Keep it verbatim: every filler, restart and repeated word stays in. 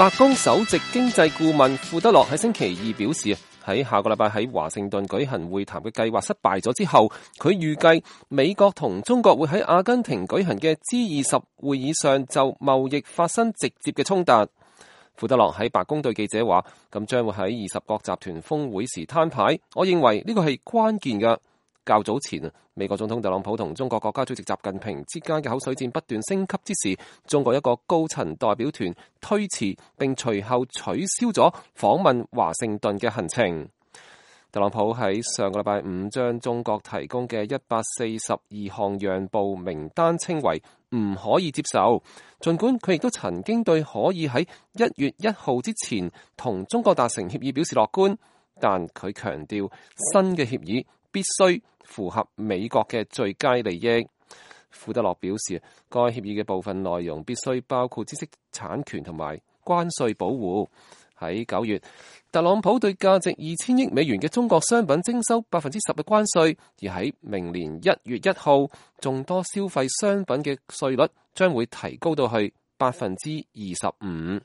白宮首席經濟顧問庫德洛喺星期二表示，喺下個禮拜喺華盛頓舉行會談嘅計劃失敗咗之後，佢預計美國同中國會喺阿根廷舉行嘅 G 二十會議上就貿易發生直接嘅衝突。庫德洛喺白宮對記者話，咁將會喺二十國集團峰會時攤牌。我認為呢個係關鍵嘅。較早前啊，美國總統特朗普同中國國家主席習近平之間嘅口水戰不斷升級之時，中國一個高層代表團推遲並隨後取消咗訪問華盛頓嘅行程。特朗普喺上個禮拜五將中國提供嘅一百四十二項讓步名單稱為唔可以接受，儘管佢亦都曾經對可以喺一月一號之前同中國達成協議表示樂觀，但佢強調新嘅協議必須符合美國嘅最佳利益。庫德洛表示，該協議嘅部分內容必須包括知識產權同埋關稅保護。喺九月，特朗普對價值二千億美元嘅中國商品徵收百分之十嘅關稅，而喺明年一月一號，眾多消費商品嘅稅率將會提高到去百分之二十五。